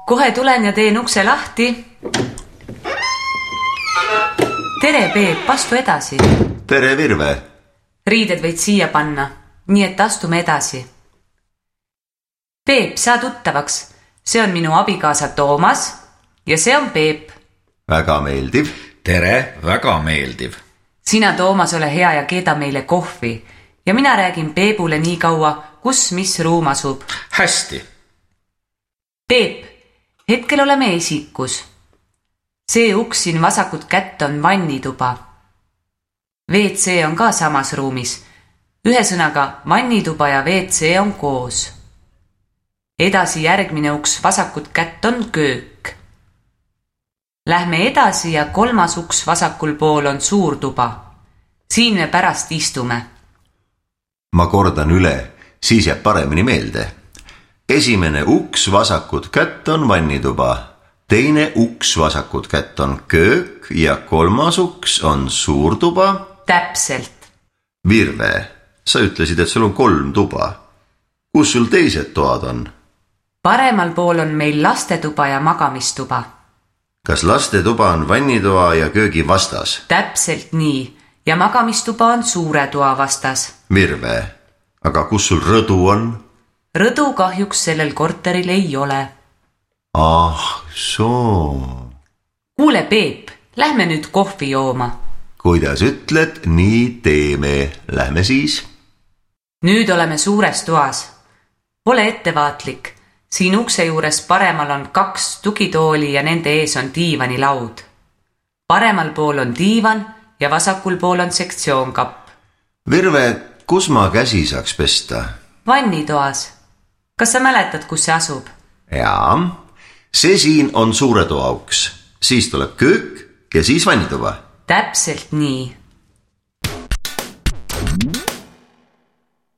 Kohe tulen ja teen ukse lahti. Tere, Peep, astu edasi. Tere, Virve. Riided võid siia panna, nii et astume edasi. Peep, saa tuttavaks. See on minu abikaasa Toomas ja see on Peep. Väga meeldiv. Tere, väga meeldiv. Sina, Toomas, ole hea ja keeda meile kohvi ja mina räägin Peebule nii kaua, kus mis ruum asub. Hästi. Peep, hetkel oleme esikus. See uks siin vasakut kätt on vannituba. WC on ka samas ruumis. Ühesõnaga, vannituba ja WC on koos. Edasi järgmine uks vasakut kätt on köök. Lähme edasi ja kolmas uks vasakul pool on suur tuba. Siin me pärast istume. Ma kordan üle, siis jääb paremini meelde. Esimene uks vasakut kätt on vannituba. Teine uks vasakut kätt on köök ja kolmas uks on suur tuba. Täpselt. Virve, sa ütlesid, et sul on 3 tuba. Kus sul teised toad on? Paremal pool on meil lastetuba ja magamistuba. Kas lastetuba on vannitoa ja köögi vastas? Täpselt nii. Ja magamistuba on suure toa vastas. Virve, aga kus sul rõdu on? Rõdu kahjuks sellel korteril ei ole. Ah, soo. Kuule, Peep, lähme nüüd kohvi jooma. Kuidas ütled, nii teeme. Lähme siis. Nüüd oleme suures toas. Ole ettevaatlik. Siin ukse juures paremal on 2 tugitooli ja nende ees on diivanilaud. Paremal pool on diivan ja vasakul pool on sektsioonkapp. Virve, kus ma käsi saaks pesta? Vannitoas. Kas sa mäletad, kus see asub? Jaa. See siin on suure toa uks. Siis tuleb köök ja siis vannituba. Täpselt nii.